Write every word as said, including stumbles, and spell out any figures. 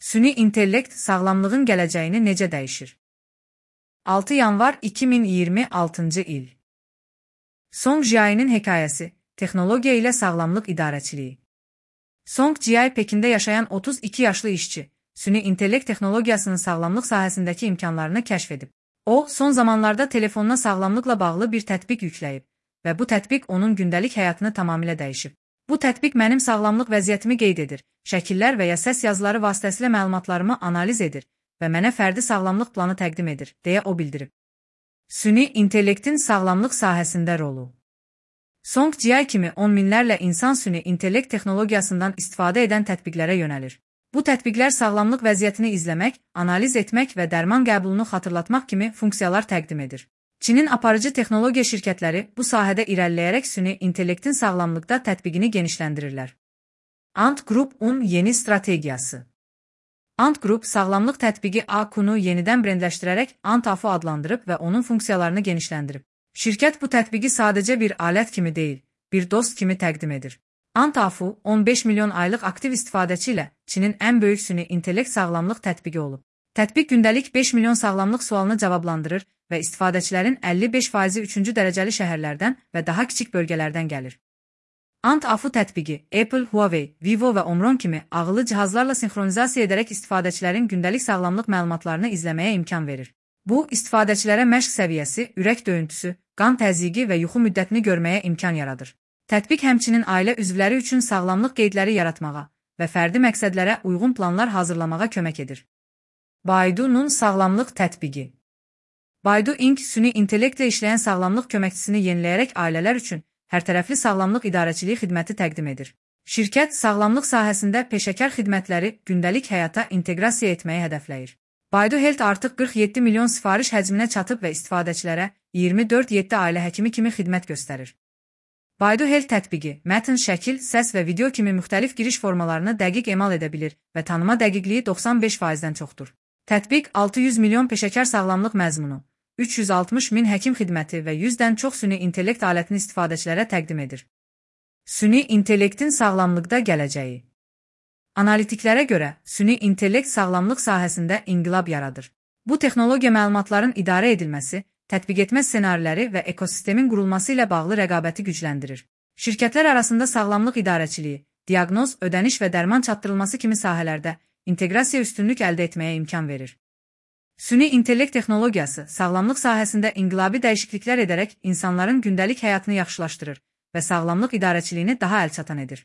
Süni intellekt sağlamlığın gələcəyini necə dəyişir? altı yanvar iki min iyirmi altıncı il. Song Jiai'nin hekayəsi, texnologiya ilə sağlamlıq idarəçiliyi. Song Jiai Pekində yaşayan otuz iki yaşlı işçi, süni intellekt texnologiyasının sağlamlıq sahəsindəki imkanlarını kəşf edib. O, son zamanlarda telefonuna sağlamlıqla bağlı bir tətbiq yükləyib və bu tətbiq onun gündəlik həyatını tamamilə dəyişib. Bu tətbiq mənim sağlamlıq vəziyyətimi qeyd edir, şəkillər və ya səs yazıları vasitəsilə məlumatlarımı analiz edir və mənə fərdi sağlamlıq planı təqdim edir, deyə o bildirib. Süni intellektin sağlamlıq sahəsində rolu. Song Jiai kimi on minlərlə insan süni intellekt texnologiyasından istifadə edən tətbiqlərə yönəlir. Bu tətbiqlər sağlamlıq vəziyyətini izləmək, analiz etmək və dərman qəbulunu xatırlatmaq kimi funksiyalar təqdim edir. Çinin aparıcı texnologiya şirkətləri bu sahədə irəliləyərək süni intellektin sağlamlıqda tətbiqini genişləndirirlər. Ant Group-un yeni strategiyası. Ant Group sağlamlıq tətbiqi A Q-nu yenidən brendləşdirərək Ant A F-u adlandırıb və onun funksiyalarını genişləndirib. Şirkət bu tətbiqi sadəcə bir alət kimi deyil, bir dost kimi təqdim edir. Ant A F-u on beş milyon aylıq aktiv istifadəçi ilə Çinin ən böyük süni intellekt sağlamlıq tətbiqi olub. Tətbiq gündəlik beş milyon sağlamlıq sualını cavablandırır və istifadəçilərin əlli beş faizi üçüncü dərəcəli şəhərlərdən və daha kiçik bölgələrdən gəlir. Ant A F tətbiqi Apple, Huawei, Vivo və Omron kimi ağıllı cihazlarla sinxronizasiya edərək istifadəçilərin gündəlik sağlamlıq məlumatlarını izləməyə imkan verir. Bu, istifadəçilərə məşq səviyyəsi, ürək döyüntüsü, qan təzyiqi və yuxu müddətini görməyə imkan yaradır. Tətbiq həmçinin ailə üzvləri üçün sağlamlıq qeydləri yaratmağa və fərdi məqsədlərə uyğun planlar hazırlamağa kömək edir. Baidu'nun sağlamlıq tətbiqi. Baidu Inc süni intellektlə işləyən sağlamlıq köməkçisini yeniləyərək ailələr üçün hərtərəfli sağlamlıq idarəçiliyi xidməti təqdim edir. Şirkət sağlamlıq sahəsində peşəkar xidmətləri gündəlik həyata inteqrasiya etməyi hədəfləyir. Baidu Health artıq qırx yeddi milyon sifariş həcminə çatıb və istifadəçilərə iyirmi dörd yeddi ailə həkimi kimi xidmət göstərir. Baidu Health tətbiqi mətn, şəkil, səs və video kimi müxtəlif giriş formalarını dəqiq emal edə bilir və tanıma dəqiqliyi doxsan beş faizdən çoxdur. Tətbiq altı yüz milyon peşəkar sağlamlıq məzmunu, üç yüz altmış min həkim xidməti və yüzdən çox süni intellekt alətini istifadəçilərə təqdim edir. Süni intellektin sağlamlıqda gələcəyi. Analitiklərə görə, süni intellekt sağlamlıq sahəsində inqilab yaradır. Bu texnologiya məlumatların idarə edilməsi, tətbiq etmə ssenariləri və ekosistemin qurulması ilə bağlı rəqabəti gücləndirir. Şirkətlər arasında sağlamlıq idarəçiliyi, diaqnoz, ödəniş və dərman çatdırılması kimi sahələrdə inteqrasiya üstünlük əldə etməyə imkan verir. Süni intellekt texnologiyası sağlamlıq sahəsində inqilabi dəyişikliklər edərək insanların gündəlik həyatını yaxşılaşdırır və sağlamlıq idarəçiliyini daha əlçatan edir.